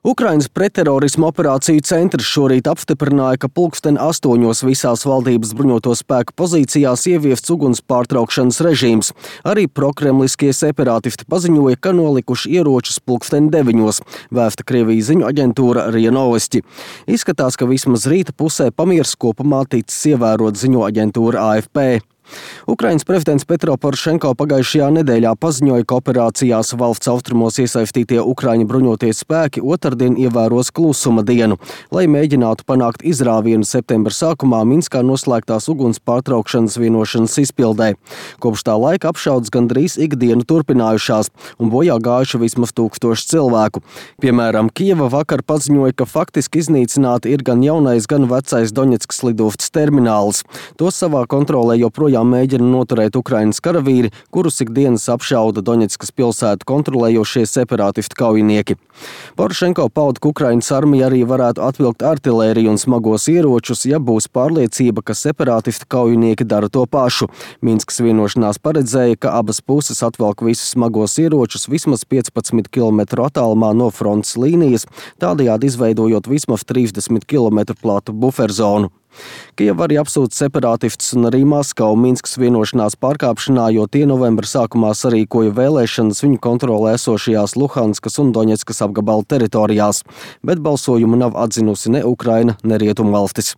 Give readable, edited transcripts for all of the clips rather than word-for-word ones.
Ukrainas pretterorisma operāciju centrs šorīt apstiprināja, ka 8:00 visās valdības bruņoto spēku pozīcijās ieviests uguns pārtraukšanas režīms. Arī prokremliskie separātisti paziņoja, ka nolikuši ieročus 9:00, vēsta Krievijas ziņu aģentūra RIA Novosti. Izskatās, ka vismaz rīta pusē pamiers kopumā ticis ievērot, ziņo aģentūra AFP. Ukrainas prezidents Petro Porošenko pagājušajā nedēļā paziņoja, ka operācijās valsts austrumos iesaistītie Ukraiņu bruņotie spēki otrdien ievēros klusuma dienu, lai mēģinātu panākt izrāvienu septembra sākumā Minskā noslēgtās uguns pārtraukšanas vienošanas izpildē. Kopš tā laika apšaudes gandrīz ikdienu turpinājušās un bojā gājuši vismaz 1000 cilvēku. Piemēram, Kijeva vakar paziņoja, ka faktiski iznīcināti ir gan jaunais, gan vecais Doņetskas lidostas termināls. Tos savā kontrolē joprojām mēģina noturēt Ukrainas karavīri, kurus ikdienas apšauda Doņetskas pilsētu kontrolējošie separātistu kaujinieki. Porošenko pauda, ka Ukrainas armija arī varētu atvilkt artilēriju un smagos ieročus, ja būs pārliecība, ka separātistu kaujinieki dara to pašu. Minskas vienošanās paredzēja, ka abas puses atvelk visus smagos ieročus vismaz 15 km attālumā no frontes līnijas, tādējādi izveidojot vismaz 30 km platu buferzonu. Kijeva arī apsūdz separātistus un arī Maskavu Minskas vienošanās pārkāpšanā, jo tie novembra sākumā sarīkoja vēlēšanas viņu kontrolē esošajās Luhanskas un Doņetskas apgabala teritorijās, bet balsojumu nav atzinusi ne Ukraina, ne Rietumvalstis.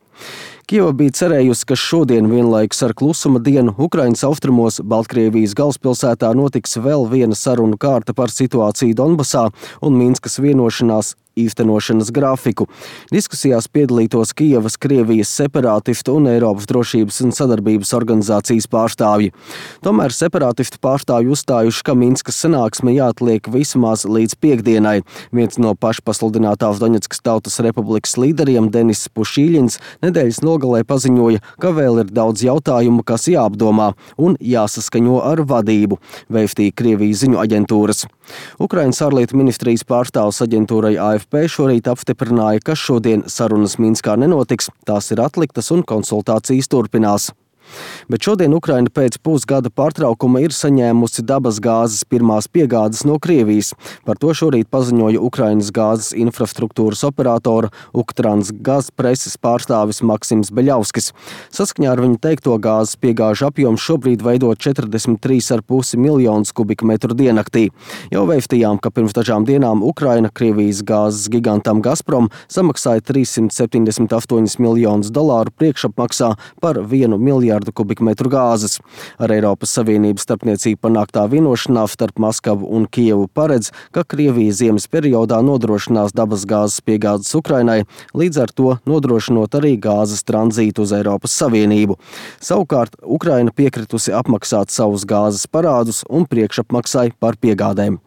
Kijeva bija cerējusi, ka šodien vienlaikus ar klusuma dienu Ukrainas austrumos Baltkrievijas galvaspilsētā notiks vēl viena sarunu kārta par situāciju Donbasā un Minskas vienošanās īstenošanas grafiku. Diskusijās piedalītos Kijevas, Krievijas separātistu un Eiropas drošības un sadarbības organizācijas pārstāvji. Tomēr separātistu pārstāvji uzstājuši, ka Minskas sanāksme jāatliek vismaz līdz piekdienai. Viens no pašpasludinātās Doņetskas tautas republikas līderiem, Denis Pušīļins, nedēļas nogalē paziņoja, ka vēl ir daudz jautājumu, kas jāapdomā un jāsaskaņo ar vadību, vēstīja Krievijas ziņu aģentūras. Ukrainas ārlietu ministrijas pārstāvs aģentūrai AFP šorīt apstiprināja, ka šodien sarunas Minskā nenotiks, tās ir atliktas un konsultācijas turpinās. Bet šodien Ukraina pēc pusgada pārtraukuma ir saņēmusi dabas gāzes pirmās piegādes no Krievijas. Par to šorīt paziņoja Ukrainas gāzes infrastruktūras operatora Uktransgaz preses pārstāvis Maksims Beļavskis. Saskaņā ar viņu teikto gāzes piegāžu apjoms šobrīd veido 43,5 miljonus kubikmetru diennaktī. Jau vēstījām, ka pirms dažām dienām Ukraina Krievijas gāzes gigantam Gazprom samaksāja $378 miljonus priekšapmaksā par 1 miljardu kubikmetru gāzes. Ar Eiropas Savienības starpniecību panāktā vienošanās starp Maskavu un Kijevu paredz, ka Krievija ziemas periodā nodrošinās dabas gāzes piegādes Ukrainai, līdz ar to nodrošinot arī gāzes tranzītu uz Eiropas Savienību. Savukārt Ukraina piekritusi apmaksāt savus gāzes parādus un priekšapmaksai par piegādēm.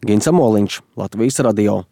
Gins Amoliņš, Latvijas radio.